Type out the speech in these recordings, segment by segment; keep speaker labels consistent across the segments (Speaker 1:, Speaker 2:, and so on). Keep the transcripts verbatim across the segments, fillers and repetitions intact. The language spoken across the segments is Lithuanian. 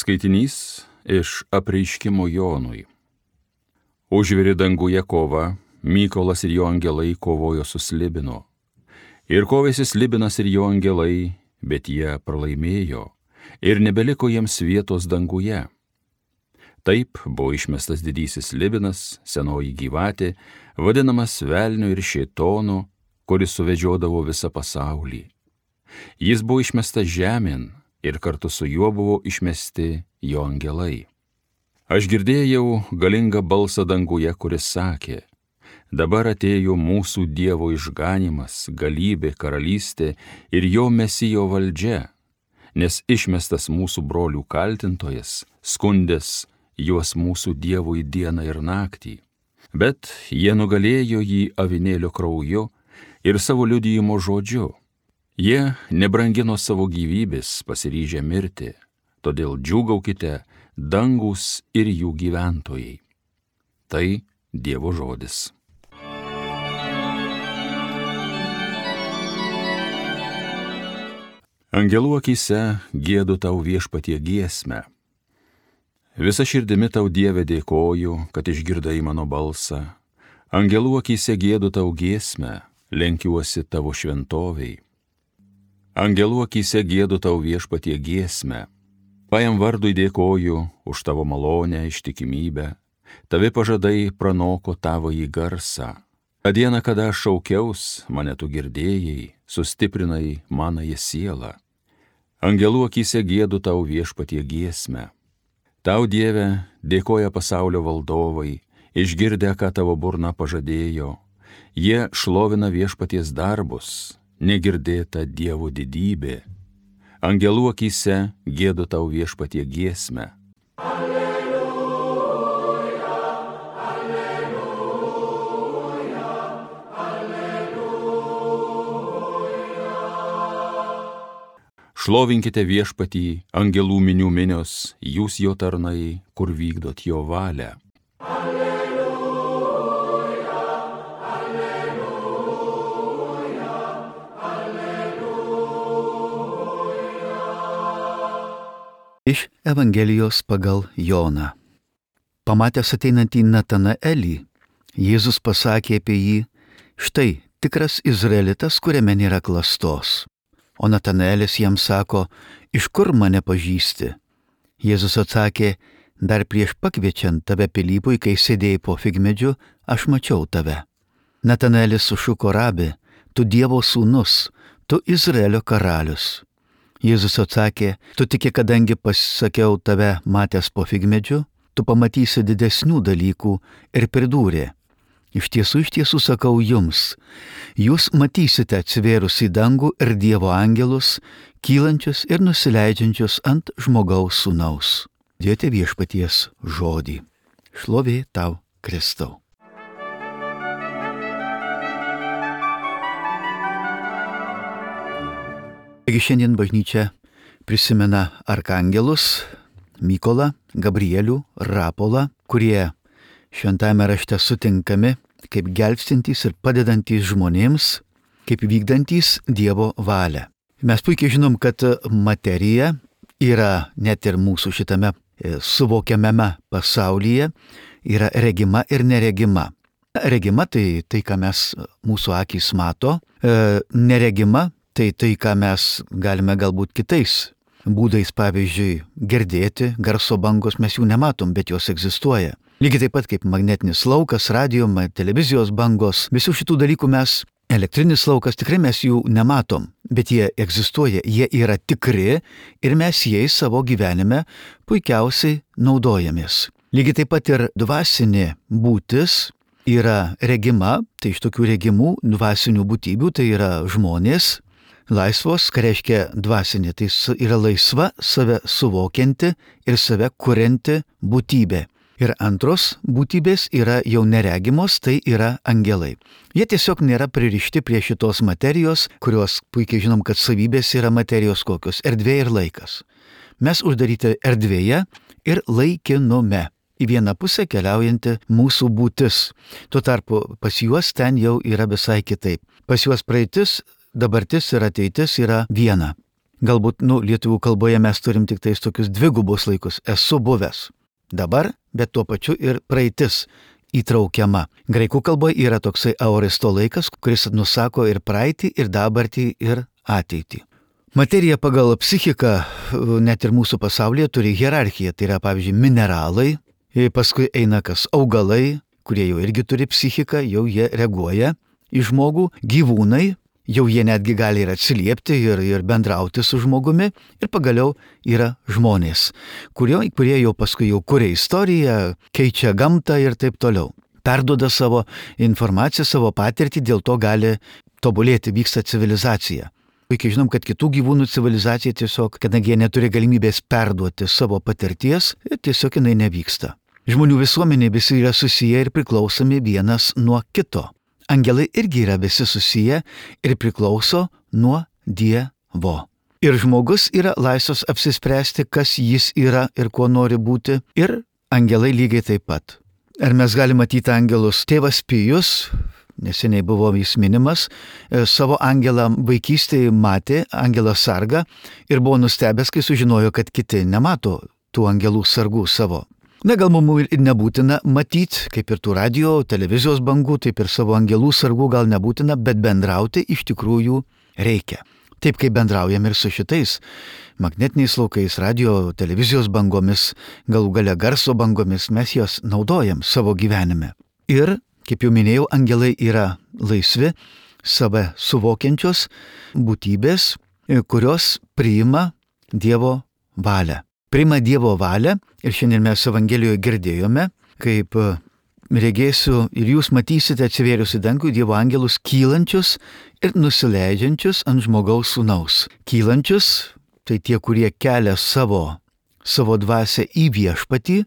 Speaker 1: Skaitinys iš Apreiškimo Jonui. Užvirė danguje kova, Mykolas ir jo angelai kovojo su Slibinu. Ir kovėsi Slibinas ir jo angelai, bet jie pralaimėjo, ir nebeliko jiems vietos danguje. Taip buvo išmestas didysis Slibinas, senoji gyvatė, vadinamas velniu ir šėtonu, kuris suvedžiodavo visą pasaulį. Jis buvo išmestas žemėn, ir kartu su juo buvo išmesti jo angelai. Aš girdėjau galingą balsą danguje, kuris sakė: dabar atėjo mūsų Dievo išganimas, galybė, karalystė ir jo Mesijo valdžia, nes išmestas mūsų brolių kaltintojas, skundęs juos mūsų Dievui dieną ir naktį. Bet jie nugalėjo jį avinėlio krauju ir savo liudijimo žodžiu. Jie nebrangino savo gyvybės, pasiryžę mirti, todėl džiūgaukite, dangus ir jų gyventojai. Tai Dievo žodis. Angelų akyse giedu tau Viešpatie giesmę. Visa širdimi tau, Dieve, dėkoju, kad išgirdai mano balsą. Angelų akyse giedu tau giesmę, lenkiuosi tavo šventoviai. Angelų akyse giedu tau Viešpatie giesmę. Pajam vardui dėkoju už tavo malonę, ištikimybę. Tavi pažadai pranoko tavąjį garsą. Ta diena, kada aš šaukiaus, mane tu girdėjai, sustiprinai manąją sielą. Angelų akyse giedu tau Viešpatie giesmę. Tau, Dieve, dėkoja pasaulio valdovai, išgirdę, ką tavo burna pažadėjo. Jie šlovina Viešpaties darbus, negirdėta Dievo didybė. Angelų akyse giedu tau Viešpatie giesmę.
Speaker 2: Alleluja, alleluja, alleluja.
Speaker 1: Šlovinkite Viešpatį, angelų minių minios, jūs jo tarnai, kur vykdot jo valią.
Speaker 3: Iš Evangelijos pagal Joną. Pamatęs ateinantį Natanaelį, Jėzus pasakė apie jį: štai tikras izraelitas, kuriame nėra klastos. O Natanaelis jam sako: iš kur mane pažįsti? Jėzus atsakė: dar prieš pakviečiant tave Pilypui, kai sėdėjai po figmedžiu, aš mačiau tave. Natanaelis sušuko: rabi, tu Dievo sūnus, tu Izraelio karalius. Jėzus atsakė: tu tiki, kadangi pasakiau tave matęs po figmedžiu, tu pamatysi didesnių dalykų, ir pridūrė: iš tiesų, iš tiesų sakau jums, jūs matysite atsivėrus į dangų ir Dievo angelus, kylančius ir nusileidžiančius ant žmogaus sūnaus. Dėti Viešpaties žodį. Šlovė tau, Kristau. Taigi šiandien bažnyčia prisimena arkangelus Mykolą, Gabrielių, Rapolą, kurie šventajame rašte sutinkami kaip gelbstintys ir padedantys žmonėms, kaip vykdantys Dievo valią. Mes puikiai žinom, kad materija yra net ir mūsų šitame suvokiamame pasaulyje, yra regima ir neregima. Regima tai tai, ką mes mūsų akys mato, e, neregima tai tai, ką mes galime galbūt kitais būdais, pavyzdžiui, girdėti, garso bangos mes jų nematom, bet jos egzistuoja. Lygiai taip pat kaip magnetinis laukas, radio, televizijos bangos, visų šitų dalykų mes, elektrinis laukas, tikrai mes jų nematom, bet jie egzistuoja, jie yra tikri ir mes jais savo gyvenime puikiausiai naudojamės. Lygiai taip pat ir dvasinė būtis yra regima, tai iš tokių regimų dvasinių būtybių tai yra žmonės, laisvos, ką reiškia dvasinė, tai yra laisva, save suvokianti ir save kurianti būtybė. Ir antros būtybės yra jau neregimos, tai yra angelai. Jie tiesiog nėra pririšti prie šitos materijos, kurios puikiai žinom, kad savybės yra materijos kokios - erdvė ir laikas. Mes uždaryti erdvėje ir laikinume. Į vieną pusę keliaujanti mūsų būtis. Tuo tarpu pas juos ten jau yra visai kitaip. Pas juos praeitis, dabartis ir ateitis yra viena. Galbūt, nu, lietuvių kalboje mes turim tik tais tokius dvigubus laikus. Esu buvęs. Dabar, bet tuo pačiu ir praeitis įtraukiama. Graikų kalboje yra toksai aoristo laikas, kuris nusako ir praeitį, ir dabartį, ir ateitį. Materija pagal psichiką, net ir mūsų pasaulyje, turi hierarchiją. Tai yra, pavyzdžiui, mineralai, paskui eina kas augalai, kurie jau irgi turi psichiką, jau jie reaguoja į žmogų, gyvūnai, jau jie netgi gali ir atsiliepti ir, ir bendrauti su žmogumi, ir pagaliau yra žmonės, kurie, kurie jau paskui jau kuria istoriją, keičia gamtą ir taip toliau. Perduoda savo informaciją, savo patirtį, dėl to gali tobulėti, vyksta civilizacija. Puikiai žinom, kad kitų gyvūnų civilizacija tiesiog, kadangi jie neturi galimybės perduoti savo patirties, tiesiog jinai nevyksta. Žmonių visuomenė visi yra susiję ir priklausomi vienas nuo kito. Angelai irgi yra visi susiję ir priklauso nuo Dievo. Ir žmogus yra laisvas apsispręsti, kas jis yra ir kuo nori būti, ir angelai lygiai taip pat. Ar mes galime matyti angelus? Tėvas Pijus, neseniai buvo jis minimas, savo angelą vaikystėje matė, angelą sargą, ir buvo nustebęs, kai sužinojo, kad kiti nemato tų angelų sargų savo. Na, gal mums ir nebūtina matyti, kaip ir tų radio, televizijos bangų, taip ir savo angelų sargų gal nebūtina, bet bendrauti iš tikrųjų reikia. Taip kaip bendraujam ir su šitais magnetiniais laukais, radio, televizijos bangomis, galų gale garso bangomis, mes juos naudojam savo gyvenime. Ir, kaip jau minėjau, angelai yra laisvi, save suvokiančios būtybės, kurios priima Dievo valią. Priima Dievo valią ir šiandien mes Evangelijoje girdėjome, kaip regėsiu ir jūs matysite atsivėrius į dangų Dievo angelus kylančius ir nusileidžiančius ant žmogaus sūnaus. Kylančius, tai tie, kurie kelia savo, savo dvasią į viešpatį,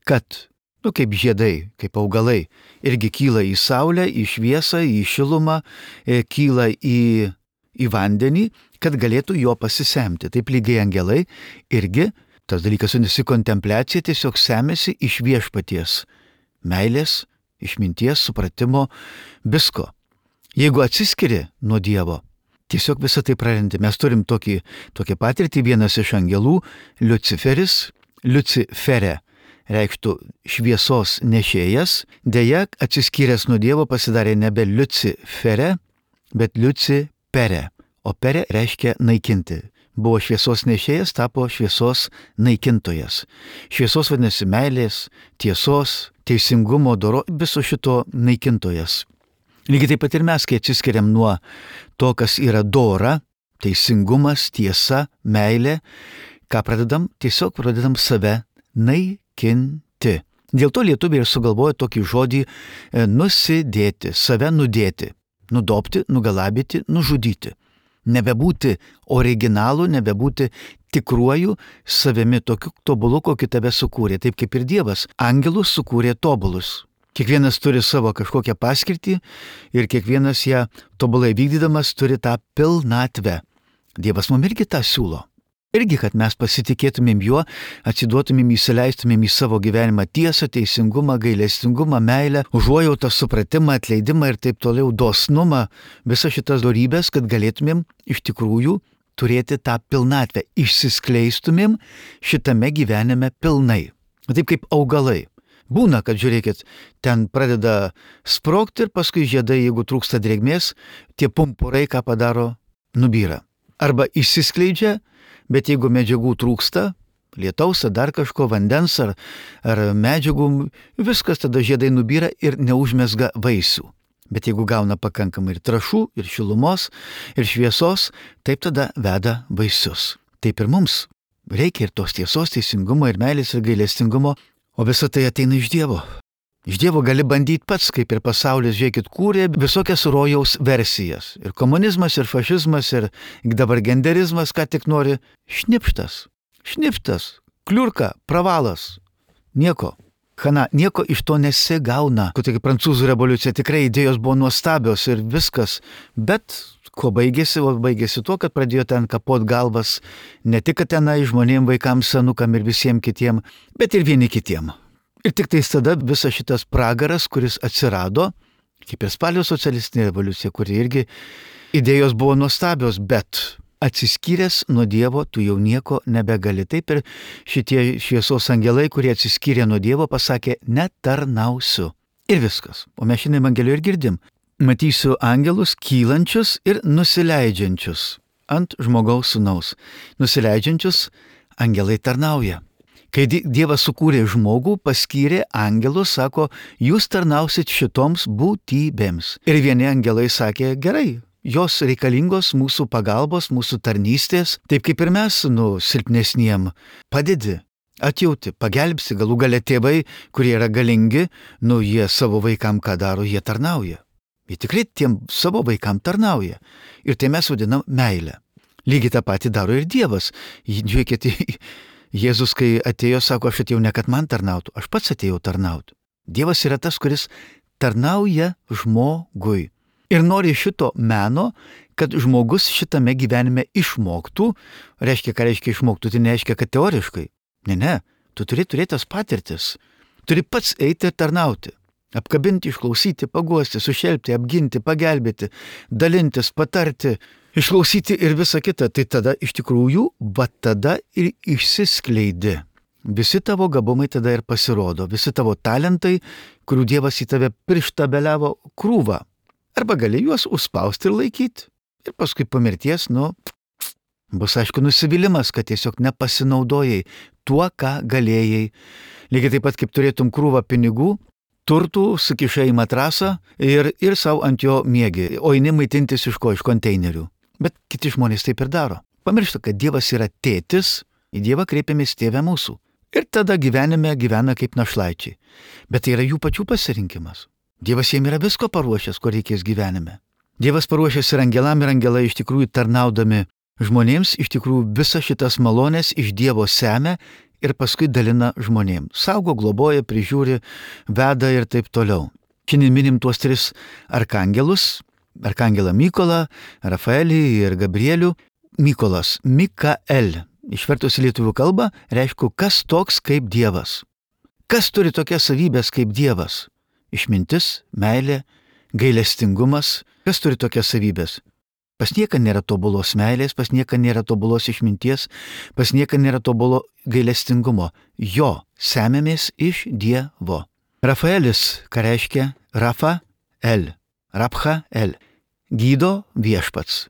Speaker 3: kad, nu kaip žiedai, kaip augalai, irgi kyla į saulę, į šviesą, į šilumą, kyla į, į vandenį, kad galėtų jo pasisemti. Taip lygiai angelai irgi. Tas dalykas vadinasi kontempliacija, tiesiog semiasi iš viešpaties meilės, išminties, supratimo, visko. Jeigu atsiskiri nuo Dievo, tiesiog visą tai prarandi. Mes turim tokį, tokią patirtį, vienas iš angelų, Liuciferis, Lucifere, reikštų šviesos nešėjas, deja atsiskyręs nuo Dievo pasidarė nebe Lucifere, bet Lucipere, o pere reiškia naikinti. Buvo šviesos nešėjas, tapo šviesos naikintojas. Šviesos vadinasi meilės, tiesos, teisingumo, doro, viso šito naikintojas. Lygiai taip pat ir mes, kai atsiskiriam nuo to, kas yra dora, teisingumas, tiesa, meilė, ką pradedam? Tiesiog pradedam save naikinti. Dėl to lietuviai ir sugalvojo tokį žodį nusidėti, save nudėti, nudobti, nugalabyti, nužudyti. Nebebūti originalu, nebebūti tikruoju savimi, tokiu tobulu, kokį tave sukūrė. Taip kaip ir Dievas angelus sukūrė tobulus. Kiekvienas turi savo kažkokią paskirtį ir kiekvienas ją tobulai vykdydamas turi tą pilnatvę. Dievas mums irgi tą siūlo. Irgi, kad mes pasitikėtumėm juo, atsiduotumėm, įsileistumėm į savo gyvenimą tiesą, teisingumą, gailestingumą, meilę, užuojautą, supratimą, atleidimą ir taip toliau, dosnumą, visas šitas dorybės, kad galėtumėm iš tikrųjų turėti tą pilnatvę, išsiskleistumėm šitame gyvenime pilnai. Taip kaip augalai. Būna, kad žiūrėkit, ten pradeda sprogti ir paskui žiedai, jeigu trūksta drėgmės, tie pumpurai, ką padaro, nubyra. Arba išsiskleidžia, bet jeigu medžiagų trūksta, lietaus, dar kažko, vandens ar, ar medžiagų, viskas tada žiedai nubyra ir neužmesga vaisių. Bet jeigu gauna pakankamai ir trąšų, ir šilumos, ir šviesos, taip tada veda vaisius. Taip ir mums reikia ir tos tiesos, teisingumo, ir meilės, ir gailestingumo, o visa tai ateina iš Dievo. Iš Dievo gali bandyti pats, kaip ir pasaulis, žiūrėkit, kūrė visokias rojaus versijas. Ir komunizmas, ir fašizmas, ir dabar genderizmas, ką tik nori. Šnipštas, šnipštas, kliurka, pravalas. Nieko. Chana, nieko iš to nesigauna. Tokia prancūzų revoliucija, tikrai idėjos buvo nuostabios ir viskas. Bet ko baigėsi? O baigėsi tuo, kad pradėjo ten kapot galvas ne tik tenai žmonėm, vaikams, senukam ir visiems kitiem, bet ir vieni kitiem. Ir tik tais tada visas šitas pragaras, kuris atsirado, kaip ir spalio socialistinė revoliucija, kuri irgi idėjos buvo nuostabios, bet atsiskyręs nuo Dievo, tu jau nieko nebegali. Taip ir šitie šviesos angelai, kurie atsiskyrė nuo Dievo, pasakė, netarnausiu. Ir viskas. O mes šiandien Evangelijoje ir girdim. Matysiu angelus kylančius ir nusileidžiančius ant žmogaus sūnaus. Nusileidžiančius angelai tarnauja. Kai Dievas sukūrė žmogų, paskyrė angelus, sako, jūs tarnausit šitoms būtybėms. Ir vieni angelai sakė, gerai, jos reikalingos mūsų pagalbos, mūsų tarnystės, taip kaip ir mes, nu, silpnesniem, padedi, atjauti, pagelbsi, galų gale tėvai, kurie yra galingi, nu, jie savo vaikam ką daro, jie tarnauja. Jie tikrai tiem savo vaikam tarnauja. Ir tai mes vadinam meilę. Lygiai tą patį daro ir Dievas. Žiūrėkite, Jėzus, kai atėjo, sako, aš atėjau ne kad man tarnautų, aš pats atėjau tarnauti. Dievas yra tas, kuris tarnauja žmogui. Ir nori šito meno, kad žmogus šitame gyvenime išmoktų. Reiškia, ką reiškia išmoktų, tai nereiškia, kad teoriškai. Ne, ne, tu turi turėti tas patirtis. Turi pats eiti ir tarnauti. Apkabinti, išklausyti, paguosti, sušelpti, apginti, pagelbėti, dalintis, patarti, išklausyti ir visa kita. Tai tada iš tikrųjų, va tada ir išsiskleidi. Visi tavo gabumai tada ir pasirodo, visi tavo talentai, kurių Dievas į tave prištabeliavo krūvą. Arba gali juos užspausti ir laikyti. Ir paskui po mirties, nu, bus aišku nusivylimas, kad tiesiog nepasinaudojai tuo, ką galėjai. Lygiai taip pat, kaip turėtum krūvą pinigų, turtų sukišai į matrasą ir, ir savo ant jo miegi, o eini maitintis iš ko, iš konteinerių. Bet kiti žmonės taip ir daro. Pamiršta, kad Dievas yra tėtis, į Dievą kreipiamės tėvę mūsų. Ir tada gyvenime gyvena kaip našlaičiai. Bet tai yra jų pačių pasirinkimas. Dievas jiems yra visko paruošęs, ko reikės gyvenime. Dievas paruošęs ir angelam, ir angelai iš tikrųjų tarnaudami žmonėms, iš tikrųjų visas šitas malonės iš Dievo semia ir paskui dalina žmonėms. Saugo, globoja, prižiūri, veda ir taip toliau. Šiandien minim tuos tris arkangelus. Arkangelą Mykolą, Rafaelį ir Gabrielių. Mykolas, Mikael, išvertus į lietuvių kalbą, reiškia, kas toks kaip Dievas. Kas turi tokias savybės kaip Dievas? Išmintis, meilė, gailestingumas. Kas turi tokias savybės? Pas nieką nėra tobulos meilės, pas nieką nėra tobulos išminties, pas nieką nėra tobulo gailestingumo. Jo semiamės iš Dievo. Rafaelis, ką reiškia Rafael, Raphael, gydo viešpats.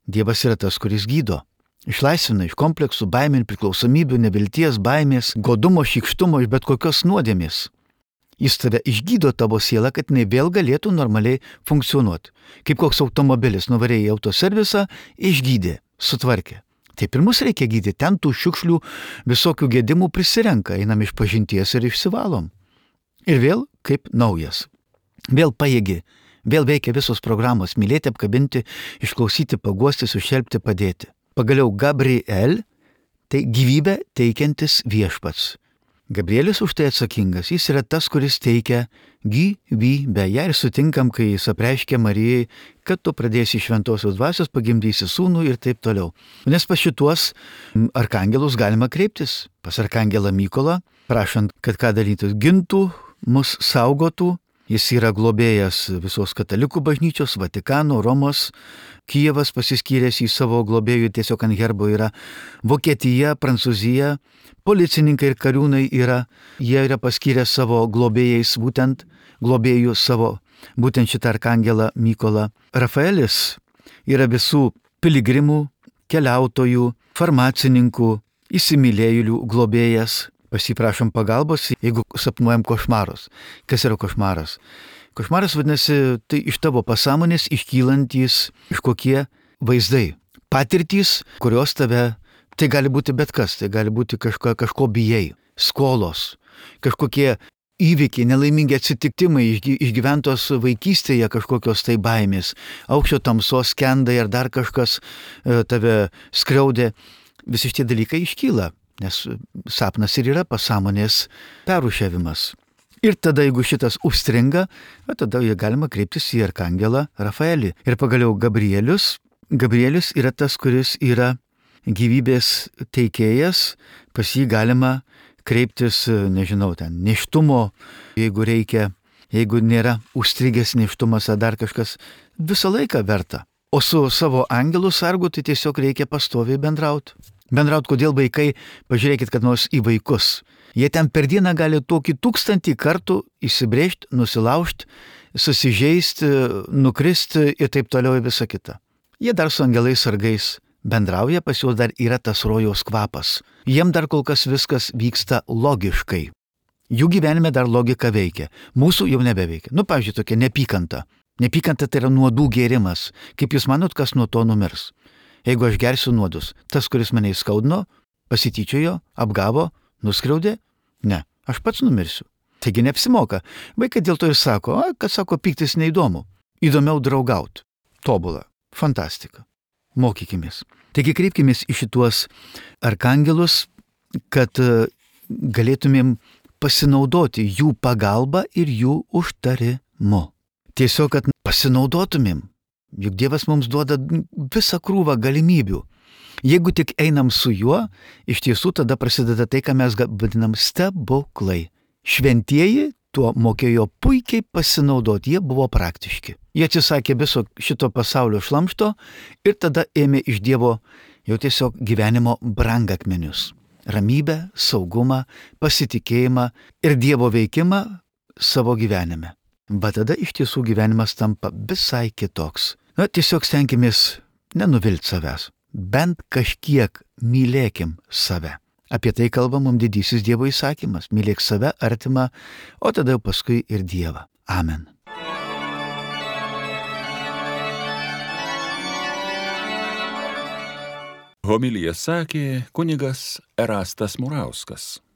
Speaker 3: Dievas yra tas, kuris gydo. Išlaisvina iš kompleksų, baimė, priklausomybių, nevilties, baimės, godumo, šykštumo, iš bet kokios nuodėmės. Jis tave išgydo tavo sielą, kad jinai vėl galėtų normaliai funkcionuoti. Kaip koks automobilis, nuvarėjai į autoservisą, išgydė, sutvarkė. Taip ir mus reikia gydyti, ten tų šiukšlių visokių gedimų prisirenka, einam iš pažinties ir išsivalom. Ir vėl kaip naujas. Vėl pajėgi, vėl veikia visos programos, mylėti, apkabinti, išklausyti, paguosti, sušelpti, padėti. Pagaliau Gabriel, tai gyvybę teikiantis viešpats. Gabrielis už tai atsakingas, jis yra tas, kuris teikia gyvybę. Ja ir sutinkam, kai jis apreiškia Marijai, kad tu pradėsi šventosios dvasios, pagimdysi sūnų ir taip toliau. Nes pas šituos arkangelus galima kreiptis, pas arkangelą Mykolą, prašant, kad ką darytų, gintų, mus saugotų. Jis yra globėjas visos katalikų bažnyčios, Vatikano, Romos, Kijevas pasiskyręs į savo globėjų, tiesiog ant herbo yra Vokietija, Prancūzija, policininkai ir kariūnai yra, jie yra paskyrę savo globėjais, būtent globėjų savo, būtent šitą arkangelą Mykolą. Rafaelis yra visų piligrimų, keliautojų, farmacininkų, įsimylėjėlių globėjas. Pasiprašom pagalbos, jeigu sapnuojam košmarus. Kas yra košmaras? Košmaras vadinasi, tai iš tavo pasąmonės iškylantys kažkokie vaizdai, patirtys, kurios tave, tai gali būti bet kas, tai gali būti kažko, kažko bijai, skolos, kažkokie įvykiai, nelaimingi atsitiktimai, išgyventos vaikystėje kažkokios tai baimės, aukščio tamsos skendai ar dar kažkas tave skriaudė, visi šitie dalykai iškyla. Nes sapnas ir yra pasąmonės perrūšiavimas. Ir tada, jeigu šitas užstringa, tada galima kreiptis į arkangelą Rafaelį. Ir pagaliau Gabrielius. Gabrielius yra tas, kuris yra gyvybės teikėjas, pas jį galima kreiptis, nežinau, ten, nėštumo, jeigu reikia, jeigu nėra užstrigęs nėštumas ar dar kažkas, visą laiką verta. O su savo angelu sargu tai tiesiog reikia pastoviai bendrauti. Bendrauti, kodėl vaikai, pažiūrėkit, kad nors į vaikus. Jie ten per dieną gali tokį tūkstantį kartų įsibrėžti, nusilaužti, susižeisti, nukristi ir taip toliau ir visa kita. Jie dar su angelais sargais bendrauja, pas juos dar yra tas rojaus kvapas. Jiem dar kol kas viskas vyksta logiškai. Jų gyvenime dar logika veikia. Mūsų jau nebeveikia. Nu, pavyzdžiui, tokia nepykanta. Nepykanta tai yra nuodų gėrimas. Kaip jūs manot, kas nuo to numirs? Jeigu aš gersiu nuodus, tas, kuris mane įskaudino, pasityčiojo, apgavo, nuskriaudė, ne, aš pats numirsiu. Taigi neapsimoka. Vaikai dėl to ir sako, a, kad sako, pyktis neįdomu. Įdomiau draugauti. Tobula. Fantastika. Mokykimės. Taigi kreipkimės į šituos arkangelus, kad galėtumėm pasinaudoti jų pagalba ir jų užtarimu. Tiesiog, kad pasinaudotumėm. Juk Dievas mums duoda visą krūvą galimybių. Jeigu tik einam su juo, iš tiesų tada prasideda tai, ką mes vadinam stebuklai. Šventieji tuo mokėjo puikiai pasinaudoti, jie buvo praktiški. Jie atsisakė viso šito pasaulio šlamšto ir tada ėmė iš Dievo jau tiesiog gyvenimo brangakmenius. Ramybę, saugumą, pasitikėjimą ir Dievo veikimą savo gyvenime. Va tada iš tiesų gyvenimas tampa visai kitoks. Na, tiesiog stenkimės nenuvilti savęs. Bent kažkiek mylėkim save. Apie tai kalba mums didysis Dievo įsakymas. Mylėk save, artimą, o tada jau paskui ir Dievą. Amen.
Speaker 1: Homiliją sakė kunigas Erastas Murauskas.